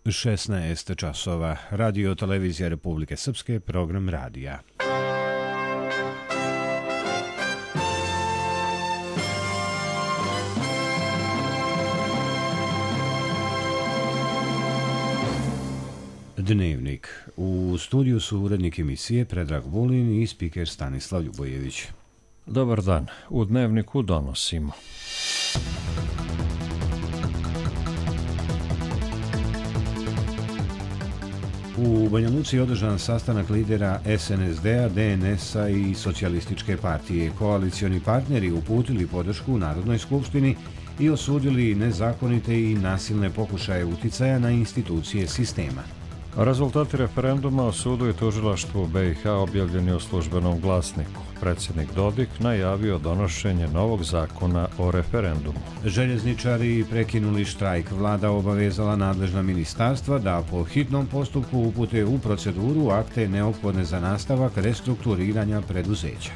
16 časova. Radio Televizija Republike Srpske, program radija. Dnevnik. U studiju su urednik emisije Predrag Vulin i spiker Stanislav Ljubojević. Dobar dan. U Dnevniku donosimo. U Banja Luci je održan sastanak lidera SNSD-a, DNS-a i Socijalističke partije. Koalicioni partneri uputili podršku Narodnoj skupštini i osudili nezakonite i nasilne pokušaje uticaja na institucije sistema. Rezultati referenduma o sudu i tužilaštvu BiH objavljeni u službenom glasniku. Predsjednik Dodik najavio donošenje novog zakona o referendumu. Željezničari prekinuli štrajk. Vlada obavezala nadležna ministarstva da po hitnom postupku upute u proceduru akte neophodne za nastavak restrukturiranja preduzeća.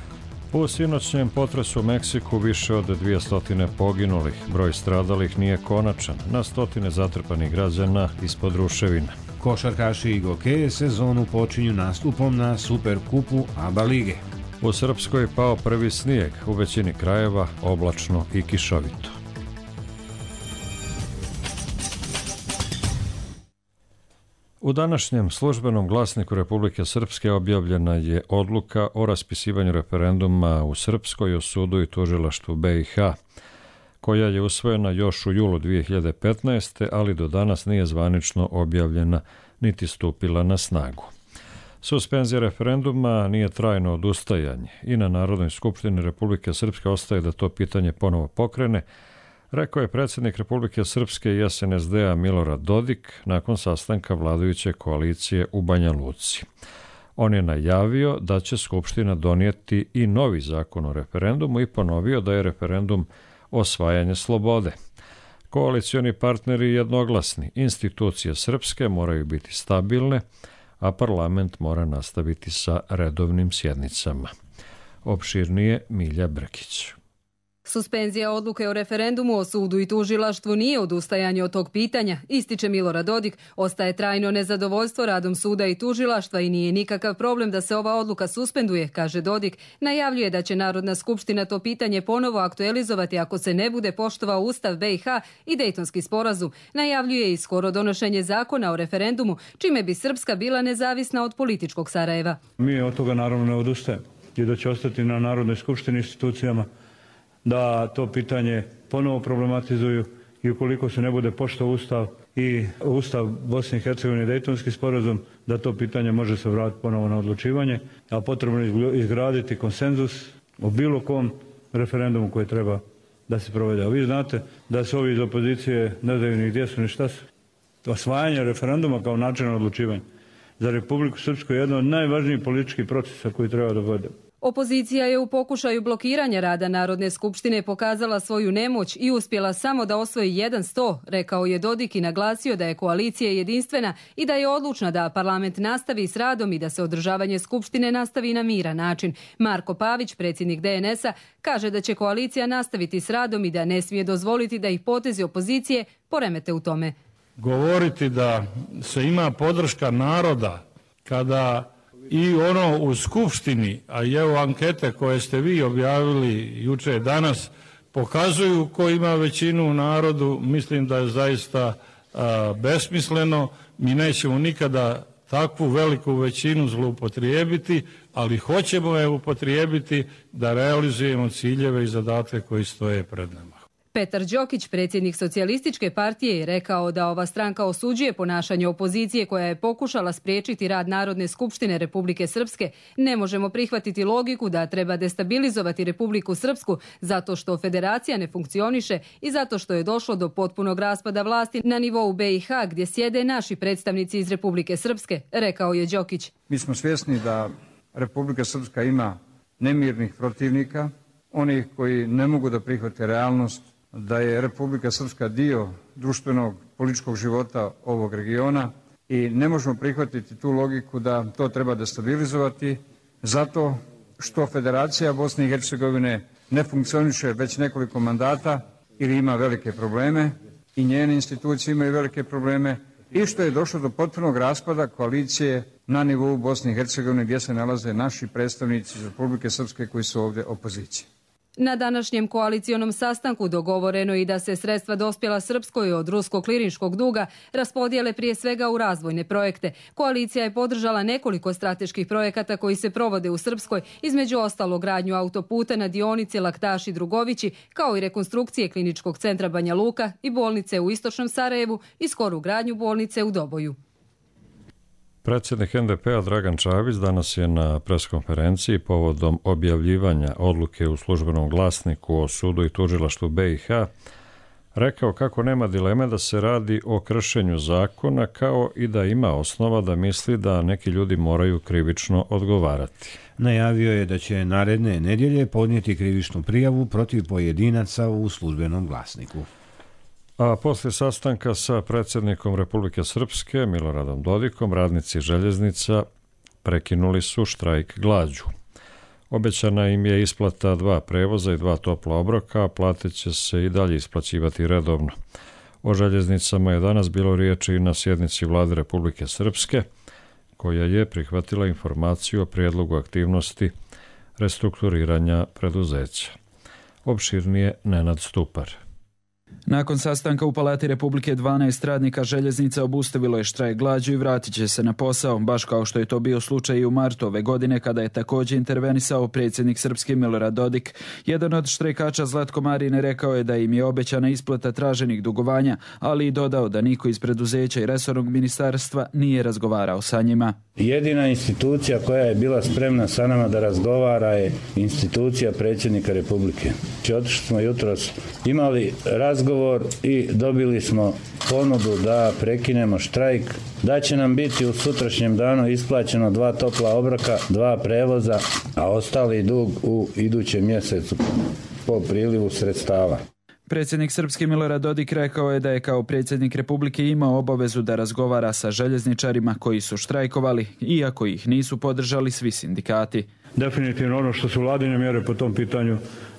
U sinoćnjem potresu u Meksiku više od 200 poginulih. Broj stradalih nije konačan. Na stotine zatrpanih građana ispod ruševina. Košarkaši i gokeje sezonu počinju nastupom na Superkupu ABA lige. U Srpskoj pao prvi snijeg, u većini krajeva oblačno i kišovito. U današnjem službenom glasniku Republike Srpske objavljena je odluka o raspisivanju referenduma u Srpskoj o sudu i tužilaštvu BiH, koja je usvojena još u julu 2015. ali do danas nije zvanično objavljena niti stupila na snagu. Suspenzija referenduma nije trajno odustajanje i na Narodnoj skupštini Republike Srpske ostaje da to pitanje ponovo pokrene, rekao je predsjednik Republike Srpske i SNSD-a Milorad Dodik nakon sastanka vladajuće koalicije u Banja Luci. On je najavio da će Skupština donijeti i novi zakon o referendumu i ponovio da je referendum osvajanje slobode. Koalicioni partneri jednoglasni, institucije srpske moraju biti stabilne, a parlament mora nastaviti sa redovnim sjednicama. Opširnije Milja Brkić. Suspenzija odluke o referendumu o sudu i tužilaštvu nije odustajanje od tog pitanja, ističe Milorad Dodik. Ostaje trajno nezadovoljstvo radom suda i tužilaštva i nije nikakav problem da se ova odluka suspenduje, kaže Dodik. Najavljuje da će Narodna skupština to pitanje ponovo aktualizovati ako se ne bude poštovao Ustav BiH i Dejtonski sporazum. Najavljuje i skoro donošenje zakona o referendumu, čime bi Srpska bila nezavisna od političkog Sarajeva. Mi od toga naravno ne odustajemo i da će ostati na Narodnoj skupštini institucijama da to pitanje ponovo problematizuju i ukoliko se ne bude poštovao Ustav i Ustav Bosne i Hercegovine, Dejtonski sporazum, da to pitanje može se vratiti ponovo na odlučivanje, a potrebno je izgraditi konsenzus o bilo kom referendumu koji treba da se provede. A vi znate da se ovi iz opozicije ne znaju ni gdje su ni šta su. Osvajanje referenduma kao način odlučivanja za Republiku Srpsku je jedan od najvažnijih političkih procesa koji treba da vode. Opozicija je u pokušaju blokiranja rada Narodne skupštine pokazala svoju nemoć i uspjela samo da osvoji 100, rekao je Dodik i naglasio da je koalicija jedinstvena i da je odlučna da parlament nastavi s radom i da se održavanje skupštine nastavi na miran način. Marko Pavić, predsjednik DNS-a, kaže da će koalicija nastaviti s radom i da ne smije dozvoliti da ih potezi opozicije poremete u tome. Govoriti da se ima podrška naroda kada i ono u Skupštini, a i evo ankete koje ste vi objavili juče danas, pokazuju ko ima većinu u narodu, mislim da je zaista besmisleno. Mi nećemo nikada takvu veliku većinu zloupotrijebiti, ali hoćemo je upotrijebiti da realizujemo ciljeve i zadatke koji stoje pred nama. Petar Đokić, predsjednik Socijalističke partije, je rekao da ova stranka osuđuje ponašanje opozicije koja je pokušala spriječiti rad Narodne skupštine Republike Srpske. Ne možemo prihvatiti logiku da treba destabilizovati Republiku Srpsku zato što federacija ne funkcioniše i zato što je došlo do potpunog raspada vlasti na nivou BiH gdje sjede naši predstavnici iz Republike Srpske, rekao je Đokić. Mi smo svjesni da Republika Srpska ima nemirnih protivnika, onih koji ne mogu da prihvate realnost da je Republika Srpska dio društvenog političkog života ovog regiona i ne možemo prihvatiti tu logiku da to treba destabilizovati zato što Federacija Bosne i Hercegovine ne funkcioniše već nekoliko mandata ili ima velike probleme i njene institucije imaju velike probleme i što je došlo do potpunog raspada koalicije na nivou Bosne i Hercegovine gdje se nalaze naši predstavnici iz Republike Srpske koji su ovdje opozicije. Na današnjem koalicionom sastanku dogovoreno je i da se sredstva dospjela Srpskoj od ruskog klirinškog duga raspodijele prije svega u razvojne projekte. Koalicija je podržala nekoliko strateških projekata koji se provode u Srpskoj, između ostalog gradnju autoputa na dionici Laktaši-Drugovići, kao i rekonstrukcije kliničkog centra Banja Luka i bolnice u istočnom Sarajevu i skoru gradnju bolnice u Doboju. Predsjednik NDP-a Dragan Čavić danas je na preskonferenciji povodom objavljivanja odluke u službenom glasniku o sudu i tužilaštvu BiH rekao kako nema dileme da se radi o kršenju zakona, kao i da ima osnova da misli da neki ljudi moraju krivično odgovarati. Najavio je da će naredne nedjelje podnijeti krivičnu prijavu protiv pojedinaca u službenom glasniku. A poslije sastanka sa predsjednikom Republike Srpske Miloradom Dodikom, radnici željeznica prekinuli su štrajk glađu. Obećana im je isplata 2 prevoza i 2 topla obroka, a plate će se i dalje isplaćivati redovno. O željeznicama je danas bilo riječi i na sjednici Vlade Republike Srpske, koja je prihvatila informaciju o prijedlogu aktivnosti restrukturiranja preduzeća. Opširnije Nenad Stupar. Nakon sastanka u Palati Republike 12 radnika željeznica obustavilo je štrajk glađu i vratit će se na posao, baš kao što je to bio slučaj i u martu ove godine kada je također intervenisao predsjednik Srpske Milorad Dodik. Jedan od štrajkača Zlatko Marine rekao je da im je obećana isplata traženih dugovanja, ali i dodao da niko iz preduzeća i resornog ministarstva nije razgovarao sa njima. Jedina institucija koja je bila spremna sa nama da razgovara je institucija predsjednika Republike. Otišli smo jutros, imali razgovor i dobili smo ponudu da prekinemo štrajk, da će nam biti u sutrašnjem danu isplaćeno 2 topla obroka, 2 prevoza, a ostali dug u idućem mjesecu po prilivu sredstava. Predsjednik Srpske Milorad Dodik rekao je da je kao predsjednik Republike imao obavezu da razgovara sa željezničarima koji su štrajkovali, iako ih nisu podržali svi sindikati. Definitivno ono što su vladine mjere po tom pitanju,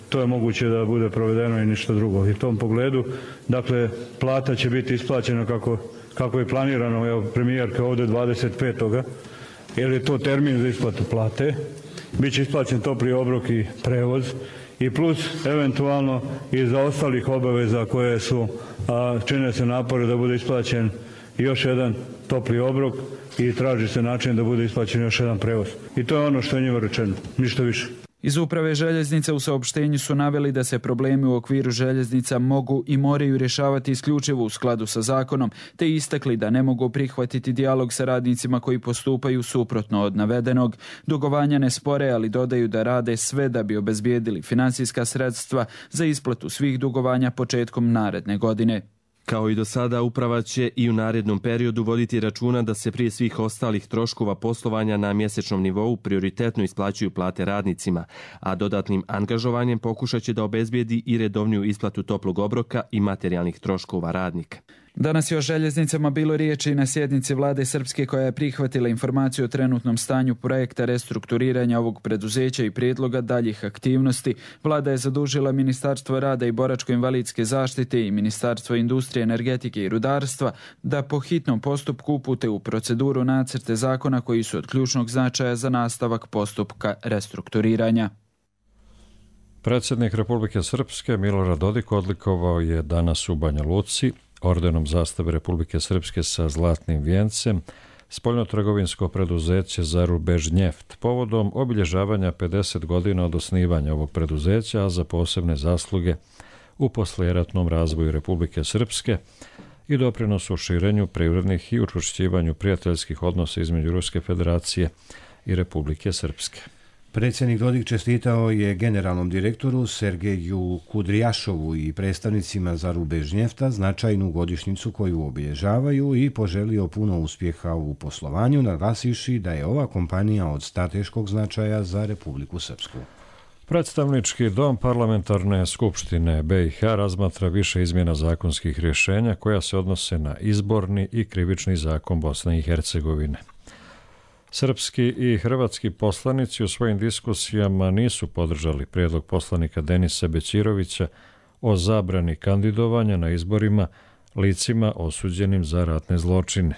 to je moguće da bude provedeno i ništa drugo. I u tom pogledu, dakle, plata će biti isplaćena kako je planirano, evo, premijerka ovdje 25. jer je to termin za isplatu plate. Biće isplaćen topli obrok i prevoz i plus eventualno i za ostalih obaveza koje su, čine se napore da bude isplaćen još jedan topli obrok i traži se način da bude isplaćen još jedan prevoz. I to je ono što je njima rečeno, ništa više. Iz uprave željeznice u saopštenju su naveli da se problemi u okviru željeznica mogu i moraju rješavati isključivo u skladu sa zakonom, te istakli da ne mogu prihvatiti dijalog sa radnicima koji postupaju suprotno od navedenog. Dugovanja ne spore, ali dodaju da rade sve da bi obezbijedili financijska sredstva za isplatu svih dugovanja početkom naredne godine. Kao i do sada, uprava će i u narednom periodu voditi računa da se prije svih ostalih troškova poslovanja na mjesečnom nivou prioritetno isplaćuju plate radnicima, a dodatnim angažovanjem pokušat će da obezbijedi i redovniju isplatu toplog obroka i materijalnih troškova radnika. Danas je o željeznicama bilo riječi na sjednici Vlade Srpske koja je prihvatila informaciju o trenutnom stanju projekta restrukturiranja ovog preduzeća i prijedloga daljih aktivnosti. Vlada je zadužila Ministarstvo rada i boračko-invalidske zaštite i Ministarstvo industrije, energetike i rudarstva da po hitnom postupku upute u proceduru nacrte zakona koji su od ključnog značaja za nastavak postupka restrukturiranja. Predsjednik Republike Srpske Milorad Dodik odlikovao je danas u Banja Luci ordenom zastave Republike Srpske sa zlatnim vijencem spoljnotrgovinsko preduzeće Zarubežnjeft povodom obilježavanja 50 godina od osnivanja ovog preduzeća, a za posebne zasluge u poslijeratnom razvoju Republike Srpske i doprinosu u širenju privrednih i učvršćivanju prijateljskih odnosa između Ruske federacije i Republike Srpske. Predsjednik Dodik čestitao je generalnom direktoru Sergeju Kudrijašovu i predstavnicima Zarubežnjefta značajnu godišnjicu koju obilježavaju i poželio puno uspjeha u poslovanju, naglasivši da je ova kompanija od strateškog značaja za Republiku Srpsku. Predstavnički dom Parlamentarne skupštine BiH razmatra više izmjena zakonskih rješenja koja se odnose na izborni i krivični zakon Bosne i Hercegovine. Srpski i hrvatski poslanici u svojim diskusijama nisu podržali prijedlog poslanika Denisa Bećirovića o zabrani kandidovanja na izborima licima osuđenim za ratne zločine.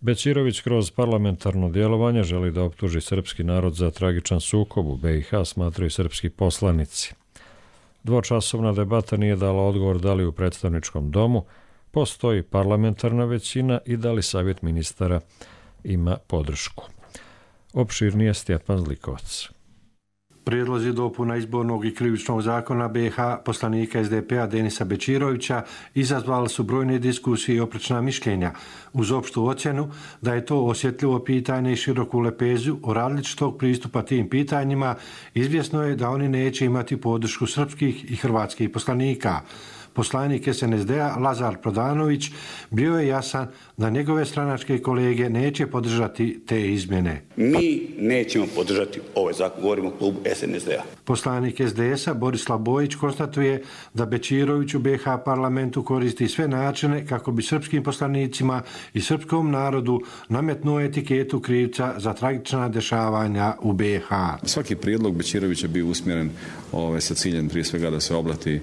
Bećirović kroz parlamentarno djelovanje želi da optuži srpski narod za tragičan sukob u BiH, smatraju srpski poslanici. Dvočasovna debata nije dala odgovor da li u predstavničkom domu postoji parlamentarna većina i da li savjet ministara ima podršku. Opširnije Stjepan Zlikovac. Prijedlozi dopuna izbornog i krivičnog zakona BiH poslanika SDP-a Denisa Bećirovića izazvali su brojne diskusije i oprečna mišljenja, uz opštu ocjenu da je to osjetljivo pitanje i široku lepezu o različitog pristupa tim pitanjima. Izvjesno je da oni neće imati podršku srpskih i hrvatskih poslanika. Poslanik SNSD-a Lazar Prodanović bio je jasan da njegove stranačke kolege neće podržati te izmjene. Mi nećemo podržati ovaj zakon, govorimo o klubu SNSD-a. Poslanik SDS-a Borislav Bojić konstatuje da Bećirović u BiH parlamentu koristi sve načine kako bi srpskim poslanicima i srpskom narodu nametnuo etiketu krivca za tragična dešavanja u BiH. Svaki prijedlog Bećirovića bio usmjeren sa ciljem prije svega da se oblati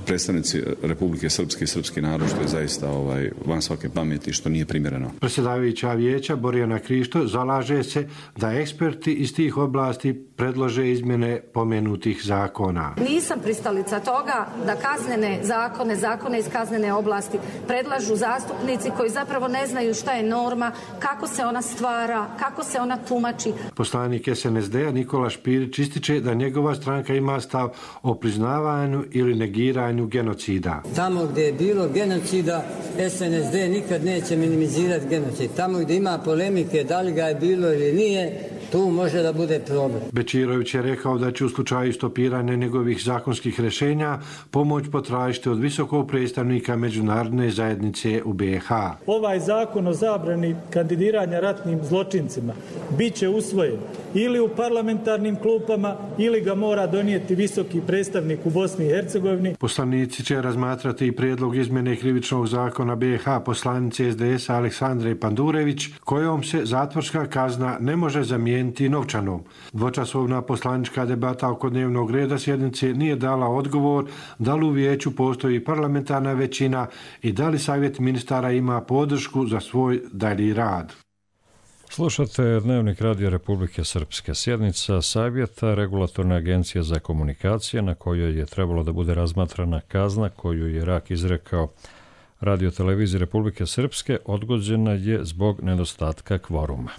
predstavnici Republike Srpske i srpski narod, što je zaista van svake pameti, što nije primjereno. Predsjedavajuća vijeća Borjana Krišto zalaže se da eksperti iz tih oblasti predlože izmjene pomenutih zakona. Nisam pristalica toga da kaznene zakone iz kaznene oblasti predlažu zastupnici koji zapravo ne znaju šta je norma, kako se ona stvara, kako se ona tumači. Poslanik SNSD-a Nikola Špirić ističe da njegova stranka ima stav o priznavanju ili negiranju genocida. Tamo gdje je bilo genocida, SNSD nikad neće minimizirati genocid. Tamo gdje ima polemike da li ga je bilo ili nije, tu može da bude problem. Bećirović je rekao da će u slučaju stopiranja njegovih zakonskih rješenja pomoć potražiti od visokog predstavnika međunarodne zajednice u BiH. Ovaj zakon o zabrani kandidiranja ratnim zločincima bit će usvojen ili u parlamentarnim klupama ili ga mora donijeti visoki predstavnik u Bosni i Hercegovini. Poslanici će razmatrati i prijedlog izmjene krivičnog zakona BiH poslanice SDS-a Aleksandre Pandurević, kojom se zatvorska kazna ne može zamijeniti novčanom. Dvočasovna poslanička debata oko dnevnog reda sjednice nije dala odgovor da li u vijeću postoji parlamentarna većina i da li savjet ministara ima podršku za svoj dalji rad. Slušate Dnevnik Radija Republike Srpske. Sjednica Savjeta Regulatorne agencije za komunikacije na kojoj je trebalo da bude razmatrana kazna koju je RAK izrekao Radio-televiziji Republike Srpske odgođena je zbog nedostatka kvoruma.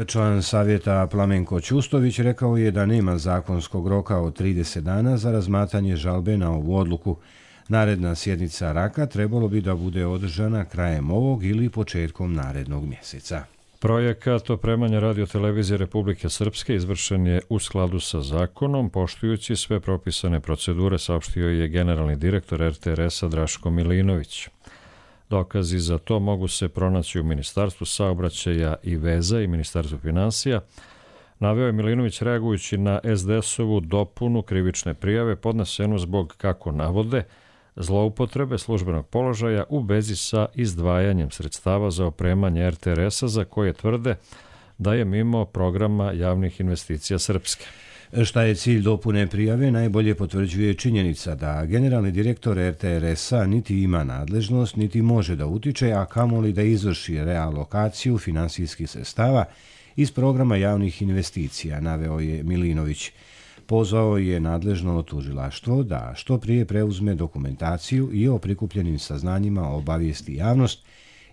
Član savjeta Plamenko Ćustović rekao je da nema zakonskog roka od 30 dana za razmatranje žalbe na ovu odluku. Naredna sjednica RAK-a trebalo bi da bude održana krajem ovog ili početkom narednog mjeseca. Projekat opremanja Radio-televizije Republike Srpske izvršen je u skladu sa zakonom, poštujući sve propisane procedure, saopštio je generalni direktor RTRS-a Draško Milinović. Dokazi za to mogu se pronaći u Ministarstvu saobraćaja i veza i Ministarstvu finansija. Naveo je Milinović reagujući na SDS-ovu dopunu krivične prijave podnesenu zbog, kako navode, zloupotrebe službenog položaja u vezi sa izdvajanjem sredstava za opremanje RTRS-a za koje tvrde da je mimo programa javnih investicija Srpske. Šta je cilj dopune prijave najbolje potvrđuje činjenica da generalni direktor RTRS-a niti ima nadležnost, niti može da utiče, a kamoli da izvrši realokaciju finansijskih sredstava iz programa javnih investicija, naveo je Milinović. Pozvao je nadležno tužilaštvo da što prije preuzme dokumentaciju i o prikupljenim saznanjima obavijesti javnost,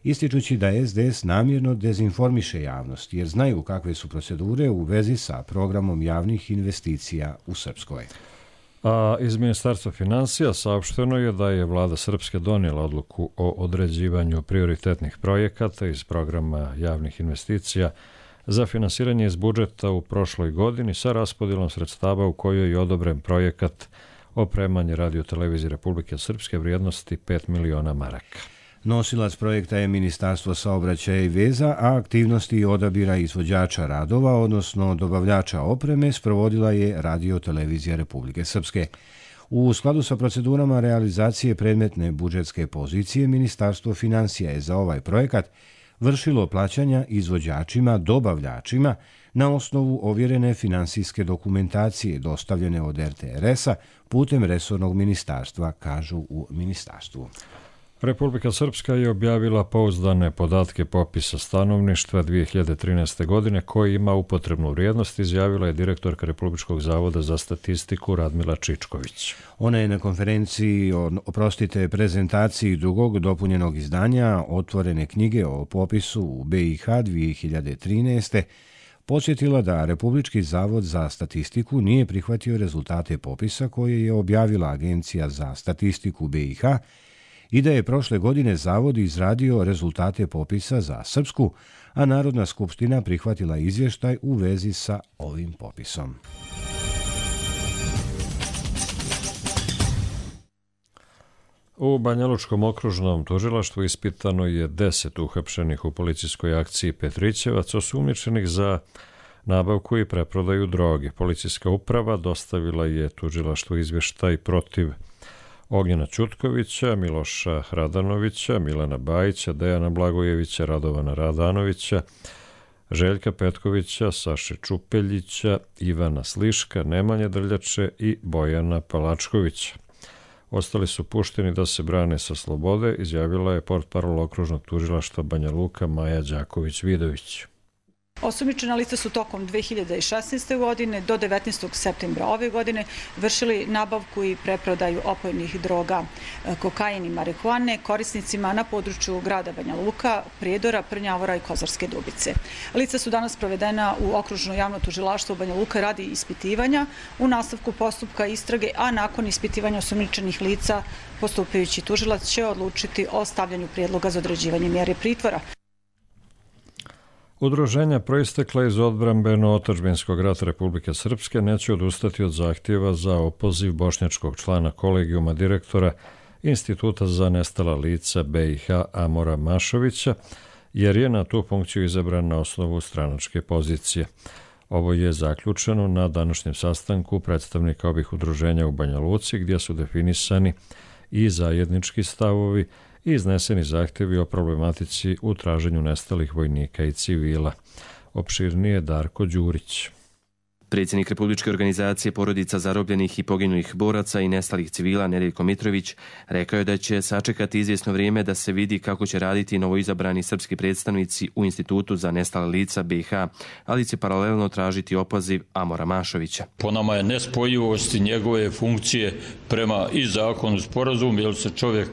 ističući da SDS namjerno dezinformiše javnost, jer znaju kakve su procedure u vezi sa programom javnih investicija u Srpskoj. A iz Ministarstva finansija saopšteno je da je vlada Srpske donijela odluku o određivanju prioritetnih projekata iz programa javnih investicija za finansiranje iz budžeta u prošloj godini sa raspodjelom sredstava u kojoj je odobren projekat opremanje Radio-televizije Republike Srpske vrijednosti 5 miliona maraka. Nosilac projekta je Ministarstvo saobraćaja i veza, a aktivnosti odabira izvođača radova, odnosno dobavljača opreme, sprovodila je Radio-televizija Republike Srpske. U skladu sa procedurama realizacije predmetne budžetske pozicije, Ministarstvo finansija je za ovaj projekat vršilo plaćanja izvođačima, dobavljačima na osnovu ovjerene finansijske dokumentacije dostavljene od RTRS-a putem resornog ministarstva, kažu u ministarstvu. Republika Srpska je objavila pouzdane podatke popisa stanovništva 2013. godine koji ima upotrebnu vrijednost, izjavila je direktorka Republičkog zavoda za statistiku Radmila Čičković. Ona je na konferenciji, prezentaciji drugog dopunjenog izdanja Otvorene knjige o popisu u BiH 2013. podsjetila da Republički zavod za statistiku nije prihvatio rezultate popisa koje je objavila Agencija za statistiku BiH i da je prošle godine Zavod izradio rezultate popisa za Srpsku, a Narodna skupština prihvatila izvještaj u vezi sa ovim popisom. U Banjalučkom okružnom tužilaštvu ispitano je 10 uhapšenih u policijskoj akciji Petrićevac osumnjičenih za nabavku i preprodaju droge. Policijska uprava dostavila je tužilaštvu izvještaj protiv Ognjena Ćutkovića, Miloša Radanovića, Milana Bajića, Dejana Blagojevića, Radovana Radanovića, Željka Petkovića, Saše Čupeljića, Ivana Sliška, Nemanje Drljače i Bojana Palačkovića. Ostali su pušteni da se brane sa slobode, izjavila je portparol okružnog tužilaštva Banja Luka Maja Đaković-Vidović. Osumnjičena lica su tokom 2016. godine do 19. septembra ove godine vršili nabavku i preprodaju opojnih droga, kokain i marihuane korisnicima na području grada Banja Luka, Prijedora, Prnjavora i Kozarske Dubice. Lica su danas provedena u okružno javno tužilaštvo Banja Luka radi ispitivanja u nastavku postupka istrage, a nakon ispitivanja osumnjičenih lica postupajući tužilac će odlučiti o stavljanju prijedloga za određivanje mjere pritvora. Udruženja proistekla iz odbrambeno-otadžbinskog rata Republike Srpske neće odustati od zahtjeva za opoziv bošnjačkog člana kolegijuma direktora Instituta za nestala lica BiH Amora Mašovića, jer je na tu funkciju izabran na osnovu stranačke pozicije. Ovo je zaključeno na današnjem sastanku predstavnika ovih udruženja u Banja Luci, gdje su definisani i zajednički stavovi i izneseni zahtjevi o problematici u traženju nestalih vojnika i civila. Opširnije Darko Đurić. Predsjednik Republičke organizacije porodica zarobljenih i poginulih boraca i nestalih civila Nedeljko Mitrović rekao je da će sačekati izvjesno vrijeme da se vidi kako će raditi novoizabrani srpski predstavnici u Institutu za nestala lica BiH, ali će paralelno tražiti opoziv Amora Mašovića. Po nama je nespojivosti njegove funkcije prema i zakonu sporazum, jer se čovjek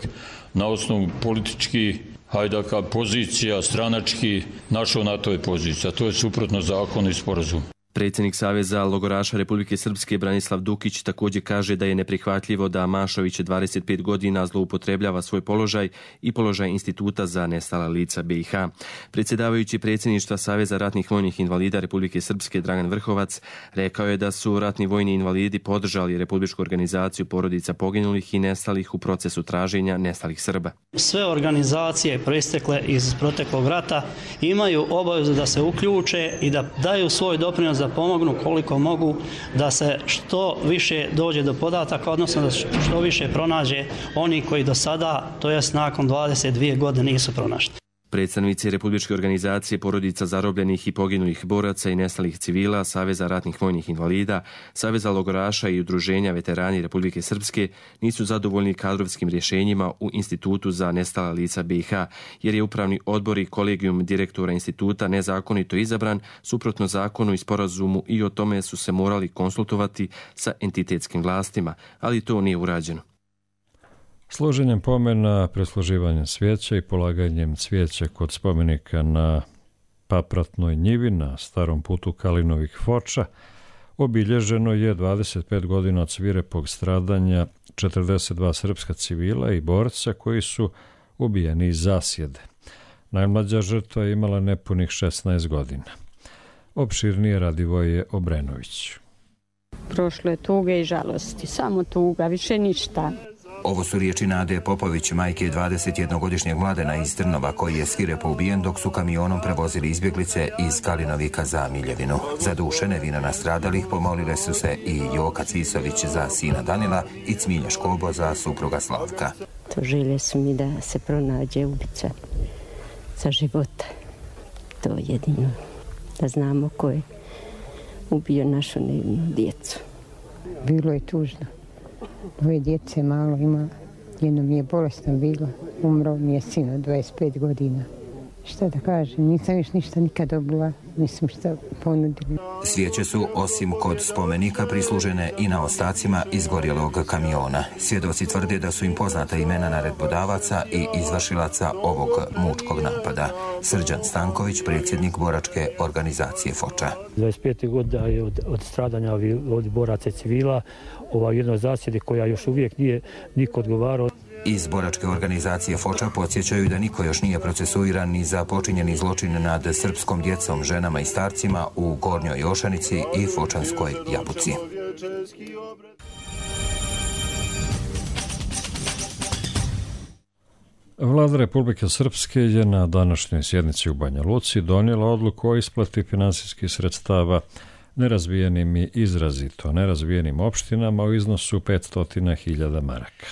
na osnovu politički pozicija, stranački našao na toj poziciji, a to je suprotno zakonu i sporazumu. Predsjednik Saveza logoraša Republike Srpske Branislav Dukić također kaže da je neprihvatljivo da Mašović 25 godina zloupotrebljava svoj položaj i položaj Instituta za nestala lica BiH. Predsjedavajući predsjedništva Saveza ratnih vojnih invalida Republike Srpske Dragan Vrhovac rekao je da su ratni vojni invalidi podržali Republičku organizaciju porodica poginulih i nestalih u procesu traženja nestalih Srba. Sve organizacije proistekle iz proteklog rata imaju obavezu da se uključe i da daju svoj doprinos da pomognu koliko mogu da se što više dođe do podataka, odnosno da što više pronađe oni koji do sada, to jest nakon 22 godine, nisu pronašli. Predstavnici Republičke organizacije porodica zarobljenih i poginulih boraca i nestalih civila, Saveza ratnih vojnih invalida, Saveza logoraša i udruženja veterani Republike Srpske nisu zadovoljni kadrovskim rješenjima u Institutu za nestala lica BiH, jer je upravni odbor i kolegijum direktora instituta nezakonito izabran suprotno zakonu i sporazumu i o tome su se morali konsultovati sa entitetskim vlastima, ali to nije urađeno. Složenjem pomena, presluživanjem svijeća i polaganjem cvijeća kod spomenika na Papratnoj njivi na starom putu Kalinovih Foča obilježeno je 25 godina od svirepog stradanja 42 srpska civila i borca koji su ubijeni iz zasjede. Najmlađa žrtva je imala nepunih 16 godina. Opširnije Radivoje Obrenović. Prošlo je tuge i žalosti, samo tuga, više ništa. Ovo su riječi Nade Popović, majke 21-godišnjeg mladena iz Trnova koji je svirepo ubijen dok su kamionom prevozili izbjeglice iz Kalinovika za Miljevinu. Za duše nevina nastradalih pomolile su se i Joka Cvisović za sina Danila i Cmilja Škobo za supruga Slavka. To želje su mi da se pronađe ubica za života. To je jedino. Da znamo ko je ubio našu nevinu djecu. Bilo je tužno. Dvoje djece malo ima, Jedno mi je bolesno bilo, umro mi je sin od 25 godina. Šta da kažem, nisam još ništa nikad dobila, nisam šta ponudila. Svijeće su, osim kod spomenika, prislužene i na ostacima izgorjelog kamiona. Svjedoci tvrde da su im poznata imena naredbodavaca i izvršilaca ovog mučkog napada. Srđan Stanković, predsjednik boračke organizacije Foča. 25. godina je od stradanja ovih boraca civila, jednoj zasjedi koja još uvijek nije niko odgovarao. Iz boračke organizacije Foča podsjećaju da niko još nije procesuiran ni za počinjeni zločin nad srpskom djecom, ženama i starcima u Gornjoj Jošanici i Fočanskoj Jabuci. Vlada Republike Srpske je na današnjoj sjednici u Banja Luci donijela odluku o isplati finansijskih sredstava nerazvijenim i izrazito nerazvijenim opštinama u iznosu 500.000 maraka.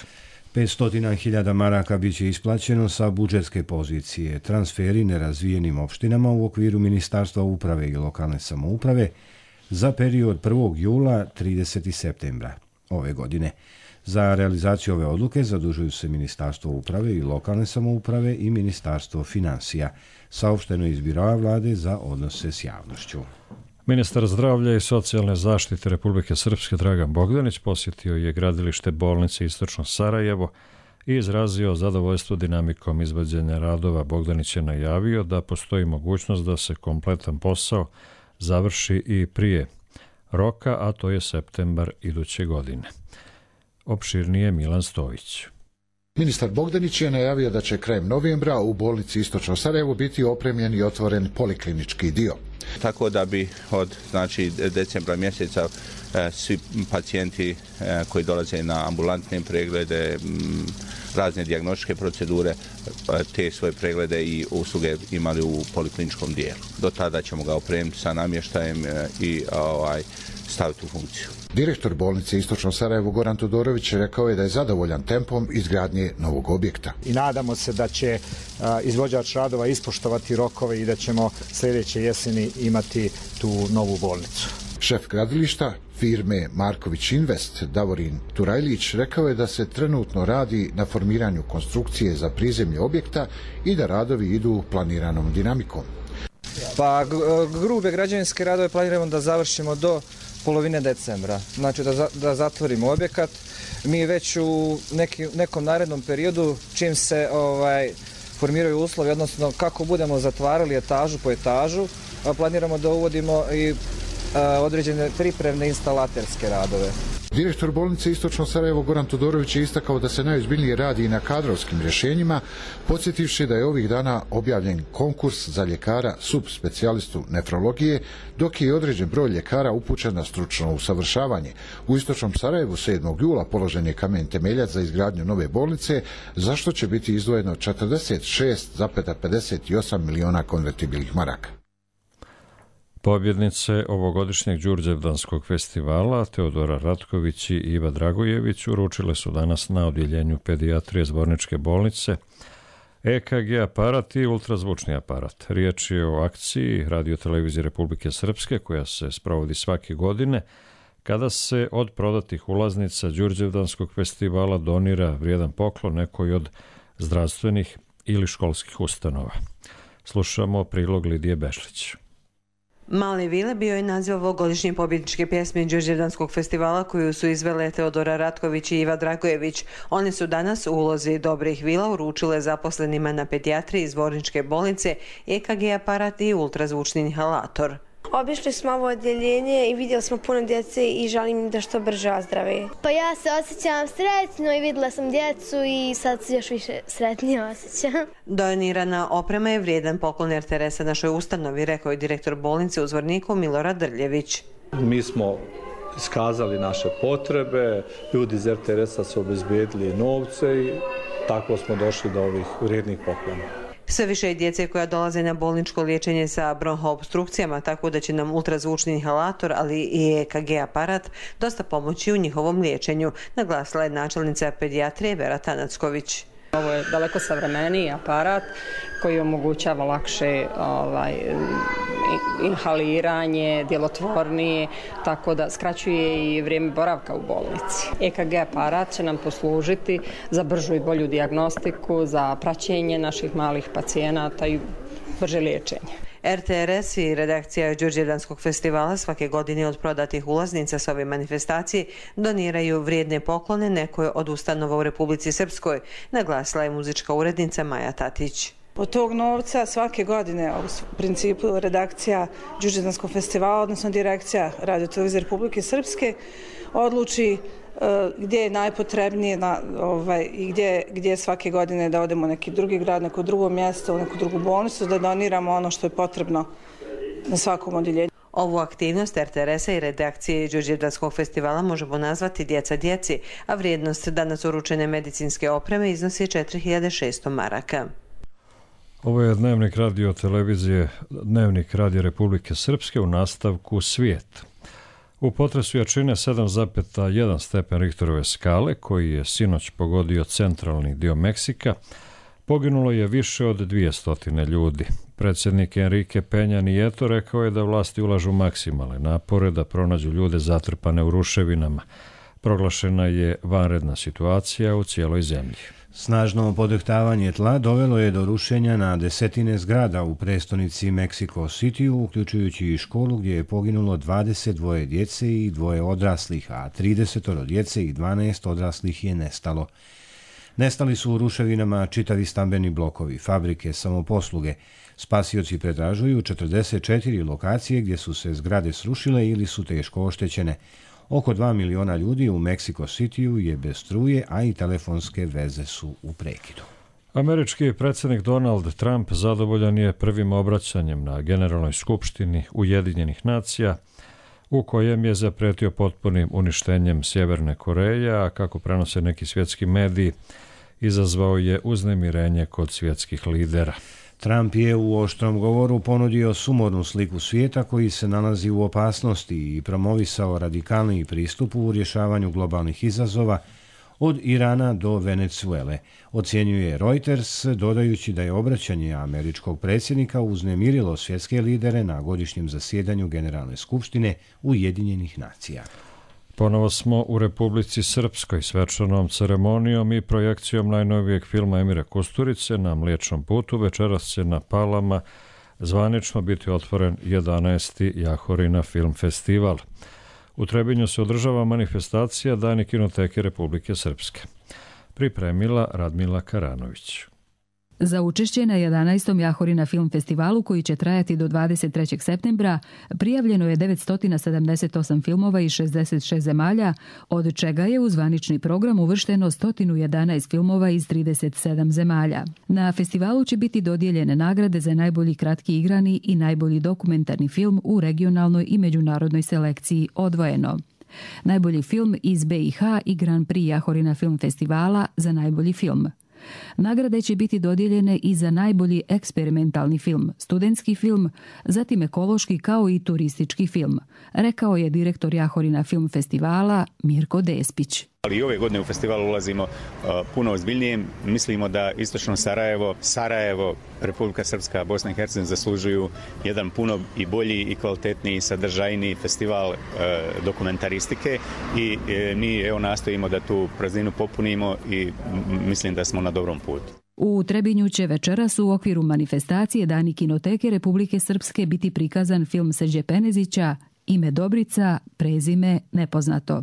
500.000 maraka bit će isplaćeno sa budžetske pozicije transferi nerazvijenim opštinama u okviru Ministarstva uprave i lokalne samouprave za period 1. jula 30. septembra ove godine. Za realizaciju ove odluke zadužuju se Ministarstvo uprave i lokalne samouprave i Ministarstvo finansija, saopšteno iz Biroa vlade za odnose s javnošću. Ministar zdravlja i socijalne zaštite Republike Srpske Dragan Bogdanić posjetio je gradilište bolnice Istočno Sarajevo i izrazio zadovoljstvo dinamikom izvođenja radova. Bogdanić je najavio da postoji mogućnost da se kompletan posao završi i prije roka, a to je septembar iduće godine. Opširnije Milan Stojić. Ministar Bogdanić je najavio da će krajem novembra u bolnici Istočno Sarajevo biti opremljen i otvoren poliklinički dio. Tako da bi od decembra mjeseca svi pacijenti koji dolaze na ambulantne preglede, razne dijagnostičke procedure, te svoje preglede i usluge imali u polikliničkom dijelu. Do tada ćemo ga opremiti sa namještajem i staviti u funkciju. Direktor bolnice Istočno Sarajevo Goran Todorović rekao je da je zadovoljan tempom izgradnje novog objekta. I nadamo se da će izvođač radova ispoštovati rokove i da ćemo sljedeće jeseni imati tu novu bolnicu. Šef gradilišta firme Marković Invest Davorin Turajlić rekao je da se trenutno radi na formiranju konstrukcije za prizemlje objekta i da radovi idu planiranom dinamikom. Pa grube građevinske radove planiramo da završimo do polovine decembra, znači da zatvorimo objekat. Mi već u nekom narednom periodu, čim se formiraju uslovi, odnosno kako budemo zatvarali etažu po etažu, planiramo da uvodimo i određene pripremne instalaterske radove. Direktor bolnice Istočno Sarajevo Goran Todorović je istakao da se najozbiljnije radi i na kadrovskim rješenjima, podsjetivši da je ovih dana objavljen konkurs za ljekara subspecijalistu nefrologije, dok je određen broj ljekara upućen na stručno usavršavanje. U Istočnom Sarajevu 7. jula položen je kamen temeljac za izgradnju nove bolnice, za što će biti izdvojeno 46,58 miliona konvertibilnih maraka. Pobjednice ovogodišnjeg Đurđevdanskog festivala Teodora Ratković i Iva Dragojević uručile su danas na odjeljenju pedijatrije Zborničke bolnice EKG aparat i ultrazvučni aparat. Riječ je o akciji Radio-televizije Republike Srpske koja se sprovodi svake godine kada se od prodatih ulaznica Đurđevdanskog festivala donira vrijedan poklon nekoj od zdravstvenih ili školskih ustanova. Slušamo prilog Lidije Bešlić. Male vile bio je naziv ovogodišnje pobjedničke pjesme Đurđevdanskog festivala koju su izvele Teodora Ratković i Iva Dragojević. One su danas u ulozi dobrih vila uručile zaposlenima na pedijatriji Zborničke bolnice EKG aparat i ultrazvučni inhalator. Obišli smo ovo odjeljenje i vidjeli smo puno djece i želim da što brže ozdrave. Pa ja se osjećam sretno i vidjela sam djecu i sad se još više sretnije osjećam. Donirana oprema je vrijedan poklon RTS-a našoj ustanovi, rekao je direktor bolnice u Zvorniku Milorad Drljević. Mi smo iskazali naše potrebe, ljudi iz RTS-a su obezbijedili novce i tako smo došli do ovih vrijednih poklona. Sve više je djece koja dolaze na bolničko liječenje sa bronhoobstrukcijama, tako da će nam ultrazvučni inhalator, ali i EKG aparat dosta pomoći u njihovom liječenju, naglasila je načelnica pedijatrije Vera Tanacković. Ovo je daleko savremeniji aparat koji omogućava lakše inhaliranje, djelotvornije, tako da skraćuje i vrijeme boravka u bolnici. EKG aparat će nam poslužiti za bržu i bolju dijagnostiku, za praćenje naših malih pacijenata i brže liječenje. RTRS i redakcija Đurđevdanskog festivala svake godine od prodatih ulaznica s ove manifestacije doniraju vrijedne poklone nekoj od ustanova u Republici Srpskoj, naglasila je muzička urednica Maja Tatić. Od tog novca svake godine u principu redakcija Đurđevdanskog festivala, odnosno direkcija Radio-televizije Republike Srpske, odluči gdje je najpotrebnije i gdje svake godine da odemo u neki drugi grad, neko drugo mjesto, u neku drugu bolnicu, da doniramo ono što je potrebno na svakom odjeljenju. Ovu aktivnost RTRS-a i redakcije Đurđevdanskog festivala možemo nazvati Djeca djeci, a vrijednost danas uručene medicinske opreme iznosi 4600 maraka. Ovo je Dnevnik Radio-televizije, Dnevnik Radio Republike Srpske u nastavku Svijet. U potresu jačine 7,1 stepen Richterove skale, koji je sinoć pogodio centralni dio Meksika, poginulo je više od 200 ljudi. Predsjednik Enrique Peña Nieto rekao je da vlasti ulažu maksimalne napore da pronađu ljude zatrpane u ruševinama. Proglašena je vanredna situacija u cijeloj zemlji. Snažno podrhtavanje tla dovelo je do rušenja na desetine zgrada u prestonici Mexico City, uključujući i školu gdje je poginulo 22 djece i 2 odraslih, a 30 djece i 12 odraslih je nestalo. Nestali su u ruševinama čitavi stambeni blokovi, fabrike, samoposluge. Spasioci pretražuju 44 lokacije gdje su se zgrade srušile ili su teško oštećene. Oko 2 miliona ljudi u Mexico Cityu je bez struje, a i telefonske veze su u prekidu. Američki predsjednik Donald Trump zadovoljan je prvim obraćanjem na Generalnoj skupštini Ujedinjenih nacija, u kojem je zapretio potpunim uništenjem Sjeverne Koreje, a kako prenose neki svjetski mediji, izazvao je uznemirenje kod svjetskih lidera. Trump je u oštrom govoru ponudio sumornu sliku svijeta koji se nalazi u opasnosti i promovisao radikalni pristup u rješavanju globalnih izazova od Irana do Venezuele, ocjenjuje Reuters, dodajući da je obraćanje američkog predsjednika uznemirilo svjetske lidere na godišnjem zasjedanju Generalne skupštine Ujedinjenih nacija. Ponovo smo u Republici Srpskoj svečanom ceremonijom i projekcijom najnovijeg filma Emira Kusturice na Mliječnom putu. Večeras će na Palama zvanično biti otvoren 11. Jahorina film festival. U Trebinju se održava manifestacija Dani kinoteke Republike Srpske. Pripremila Radmila Karanović. Za učešće na 11. Jahorina film festivalu, koji će trajati do 23. septembra, prijavljeno je 978 filmova iz 66 zemalja, od čega je u zvanični program uvršteno 111 filmova iz 37 zemalja. Na festivalu će biti dodijeljene nagrade za najbolji kratki igrani i najbolji dokumentarni film u regionalnoj i međunarodnoj selekciji odvojeno. Najbolji film iz BiH i Grand Prix Jahorina film festivala za najbolji film. Nagrade će biti dodijeljene i za najbolji eksperimentalni film, studentski film, zatim ekološki kao i turistički film, rekao je direktor Jahorina film festivala Mirko Despić. Ali i ove godine u festival ulazimo puno ozbiljnije. Mislimo da istočno Sarajevo, Republika Srpska, Bosna i Hercegovina zaslužuju jedan puno i bolji i kvalitetniji, sadržajniji festival dokumentaristike i mi nastojimo da tu prazninu popunimo i mislim da smo na dobrom putu. U Trebinju će večeras u okviru manifestacije Dani kinoteke Republike Srpske biti prikazan film Srđe Penezića Ime Dobrica, prezime nepoznato,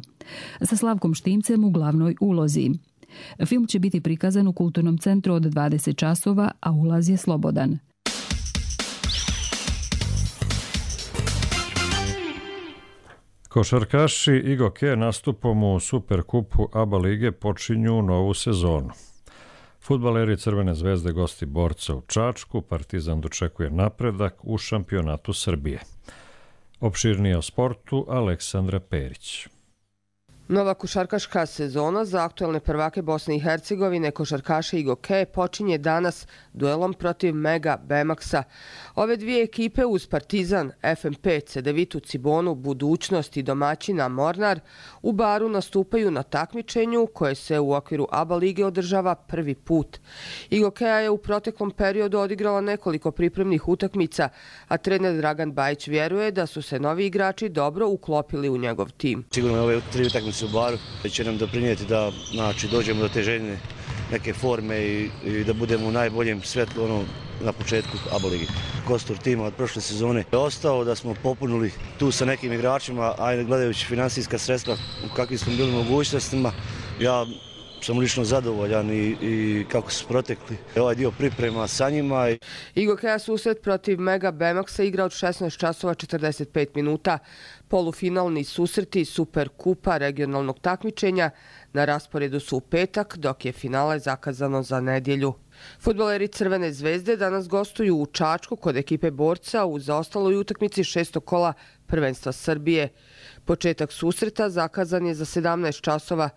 sa Slavkom Štimcem u glavnoj ulozi. Film će biti prikazan u Kulturnom centru od 20 časova, a ulaz je slobodan. Košarkaši Igoke nastupom u Superkupu ABA lige počinju novu sezonu. Fudbaleri Crvene zvezde gosti Borca u Čačku, Partizan dočekuje napredak u šampionatu Srbije. Opširnije o sportu Aleksandra Perić. Nova košarkaška sezona za aktuelne prvake Bosne i Hercegovine, košarkaše IGOKE, počinje danas duelom protiv Mega Bemaxa. Ove dvije ekipe uz Partizan, FNP, Cedevitu, Cibonu, Budućnost i domaćina Mornar u Baru nastupaju na takmičenju koje se u okviru ABA lige održava prvi put. IGOKEA je u proteklom periodu odigrala nekoliko pripremnih utakmica, a trener Dragan Bajić vjeruje da su se novi igrači dobro uklopili u njegov tim. Sigurno ove 3 utakmice u Baru će nam doprinijeti da dođemo do te željene neke forme i da budemo u najboljem svjetlu na početku ABA ligi. Kostur tima od prošle sezone je ostao, da smo popunili tu sa nekim igračima, a gledajući financijska sredstva u kakvim smo bili mogućnostima, ja sam lično zadovoljan i kako su protekli ovaj dio priprema sa njima. IGOKEA susret protiv Mega Bemaxa igra od 16 časova 45 minuta. Polufinalni susreti Super Kupa regionalnog takmičenja na rasporedu su u petak, dok je finale zakazano za nedjelju. Fudbaleri Crvene zvezde danas gostuju u Čačku kod ekipe Borca u zaostaloj utakmici 6. kola prvenstva Srbije. Početak susreta zakazan je za 17 časova.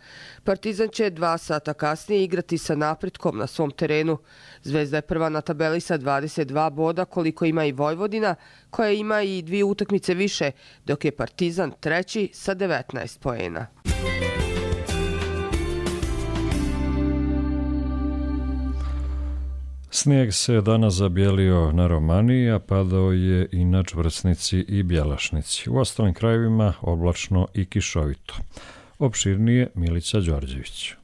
Partizan će 2 sata kasnije igrati sa Napretkom na svom terenu. Zvezda je prva na tabeli sa 22 boda, koliko ima i Vojvodina, koja ima i 2 utakmice više, dok je Partizan treći sa 19 poena. Snijeg se danas zabijelio na Romaniji, a padao je i na Čvrsnici i Bjelašnici. U ostalim krajevima oblačno i kišovito. Opširnije Milica Đorđević.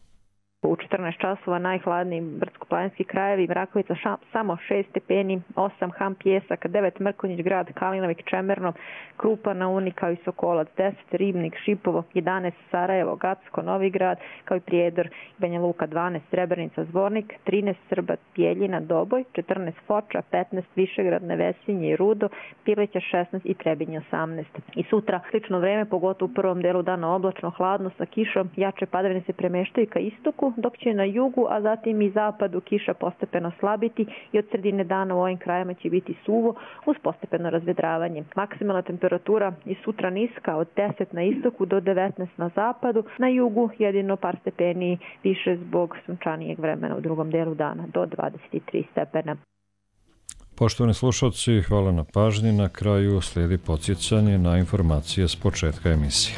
U 14 časova najhladniji brdsko-planinski krajevi, Rakovica samo 6 stepeni, 8 Ham Pjesak, 9 Mrkonjić grad, Kalinovik, Čemerno, Krupa na Uni kao i Sokolac, 10 Ribnik, Šipovo, 11 Sarajevo, Gacko, Novi grad kao i Prijedor, Banja Luka 12, Srebrenica, Zvornik, 13 Srbat, Bijeljina, Doboj, 14 Foča, 15 Višegrad, Nevesinje i Rudo, Pileća 16 i Trebinje 18. I sutra slično vreme, pogotovo u prvom delu dana oblačno, hladno sa kišom, jače padavine se premeštaju ka istoku, dok će na jugu, a zatim i zapadu kiša postepeno slabiti i od sredine dana u ovim krajima će biti suvo uz postepeno razvedravanje. Maksimalna temperatura i sutra niska od 10 na istoku do 19 na zapadu, na jugu jedino par stepeni više zbog sunčanijeg vremena u drugom delu dana do 23 stepena. Poštovani slušalci, hvala na pažnji. Na kraju slijedi podsjećanje na informacije s početka emisije.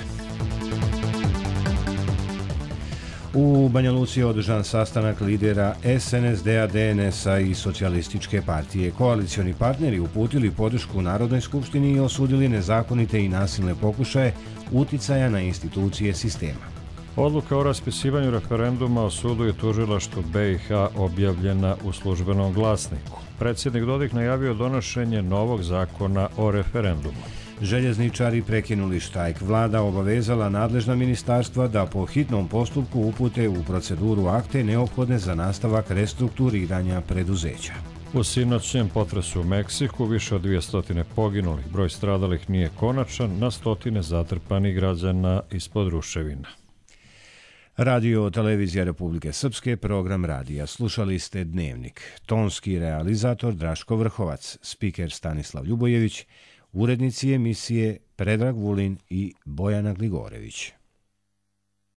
U Banja Luci je održan sastanak lidera SNSD-a, DNS-a i Socijalističke partije. Koalicioni partneri uputili podršku Narodnoj skupštini i osudili nezakonite i nasilne pokušaje uticaja na institucije sistema. Odluka o raspisivanju referenduma o sudu i tužilaštvu BiH objavljena u Službenom glasniku. Predsjednik Dodik najavio donošenje novog zakona o referendumu. Željezničari prekinuli štrajk. Vlada obavezala nadležna ministarstva da po hitnom postupku upute u proceduru akte neophodne za nastavak restrukturiranja preduzeća. U sinoćnjem potresu u Meksiku više od 200 poginulih. Broj stradalih nije konačan, na stotine zatrpanih građana ispod ruševina. Radio Televizija Republike Srpske, program radija. Slušali ste Dnevnik. Tonski realizator Draško Vrhovac, spiker Stanislav Ljubojević, urednici emisije Predrag Vulin i Bojana Gligorević.